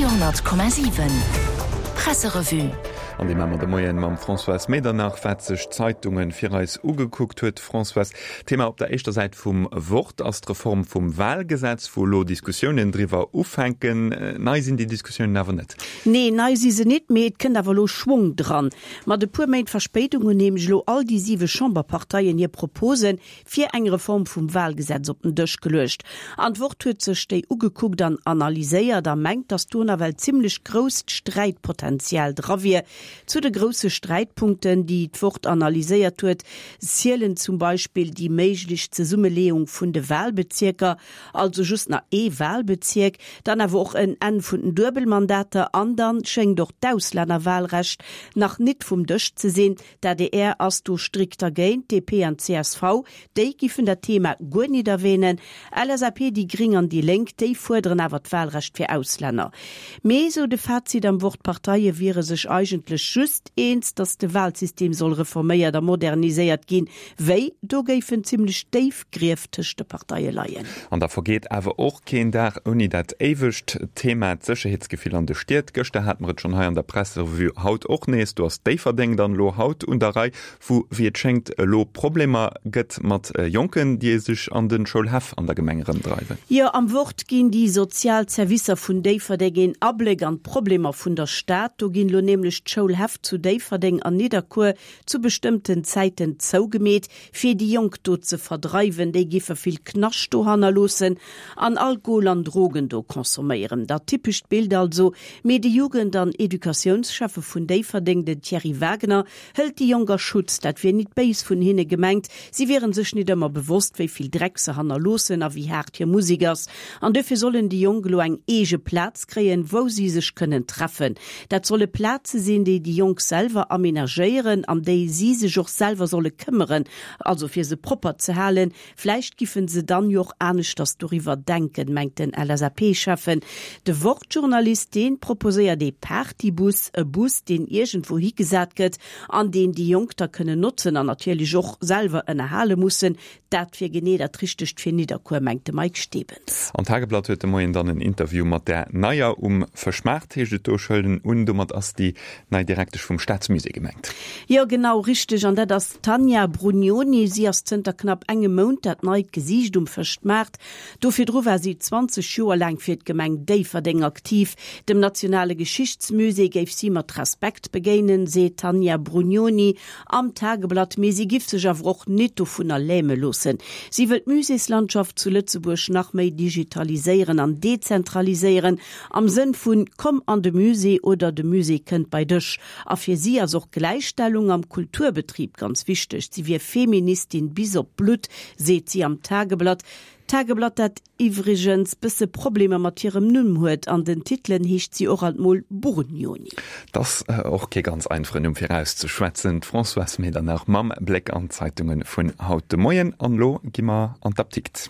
100,7 Presserevue. An déi maache mer de Moien mam Françoise Medernach, wat sech d'Zeitungen fir eis ugekuckt huet. Françoise, Thema op der éischter Säit vum Wort ass d'Reform vum Wahlgesetz, wou elo Diskussiounen driwwer ufänken. Nei sinn déi Diskussiounen awer net. Nee, nei si se nit, mee et kënnt awer elo Schwong dran. Mat e puer Méint Verspéidung hunn nämlech elo all déi siwe Chamberparteien hir Propose fir eng Reform vum Wahlgesetz op den Dësch geluecht. An d'Wort huet sech déi ugekuckt an analyséiert a mengt, datt do nawell zimlech grousst Sträitpotenzial dra wier. Zu de grousse Sträitpunkten, déi d'Wort analyséiert huet, zielen zum Beispill déi méiglech Zesummeleeung vun de Wahlbezierker, also just nach ee Wahlbezierk, dann awer och en Enn vun den Duebelmandater an dann schéngt och d'Auslännerwahlrecht nach nit vum Dësch ze sinn. D'adr ass do strikt dergéint, DP an csv, déi giffen dat Thema guer nit erwähnen. LSAP, déi Gring an déi Lénk, déi fuerderen awer d'Wahlrecht fir Auslänner. Mee, sou de Fazit am Wort, d'Parteie wiere sech eigentlech just eens, datt de Wahlsystem soll reforméiert a moderniséiert ginn. Wéi? Do géifen zimlech déif Grief tëscht de Parteie leien. An da vergeet awer och keen Dag ouni dat éiwegt Thema, d'Sécherheetsgefill an de Stied. Gëschter hate mer et schonn hei an der Presserevue, haut och nees. Do ass Déifferdeng dann elo haut un der Rei, wou wéi et schéngt elo Problemer gëtt mat Jonken, déi sech an de Schoulhäff an der Gemeng erëmdreiwen. Jo, am Wort ginn déi sozial Servicer vun Déifferdeng een Abléck an d'Problemer vun der Stad. Do ginn elo nämlech d'Schoulhäff zu Déifferdeng an Nidderkuer zu bestëmmten Zäiten zougemeet, fir déi Jonk do ze verdreiwen, déi giffe vill Knascht do hannerloossen an Alkohol an Drogen do consomméieren. Dat typescht Bild also. Mee de Jugend an Educatiounsschäffe vun Déifferdeng, den Thierry Wagner, hëlt déi Jonk a Schutz. Dat wier nit béis vun hinne gemengt, si wieren sech nit ëmmer bewosst, wéi vill Dreck se hannerloossen a wéi haart hir Musek ass. An duerfir sollen déi Jonk elo eng eege Plaz kréien, wou si sech kënnen treffen. Dat solle Plaze sinn, déi déi Jonk selwer amenagéieren, an déi si sech och selwer solle këmmeren, also fir se propper ze halen. Vläicht giffen se dann jo och aneschters doriwwer denken, mengt den LSAP-Schäffen. De Wort-Journalist, dee proposéiert ee Partybus, e Bus, deen iergendwou higesat gëtt an deen déi Jonk da kënnen notzen an natierlech och selwer ënnerhale mussen. Dat wier genee dat Richtegt fir Nidderkuer, mengt de Mike Stebens. Am Tageblatt huet de Moien dann en Interview mat där Neier um Fëschmaart, heescht et do. Ech huelen un, domat ass déi nei Direktesch vum Staatsmusée gemengt. Jo, genau richteg. An dat ass d'Tanja Brugnoni. Si ass zënter knapp engem Mount dat neit Gesiicht um Fëschtmaart. Do virdru war si 20 Joer laang fir d'Gemeng Déifferdeng aktiv. Dem nationale Geschichtsmusée géif si mat Respekt begéinen, seet d'Tanja Brugnoni. Am Tageblatt, mee si giff sech awer och nit dovunner läme loossen. Si wëll d'Muséeslandschaft zu Lëtzebuerg nach méi digitaliséieren an dezentraliséieren, am Sënn vun Komm an de Musée oder de Musée kënnt bei dech. A fir si ass och Gläichstellung am Kulturbetrib ganz wichteg. Si wier Feministin bis op d'Blutt, seet si am Tageblatt. D'Tageblatt, dat iwwregens bësse Problemer mat hirem Numm huet, an den Titelen heescht si och alt mol Burgnoni. 't ass och kee ganz einfachen Numm fir auszeschwätzen. D'Françoise Medernach mam Bléck an d'Zeitunge vun haut de Moien. An elo gi mer an d'Aptikt.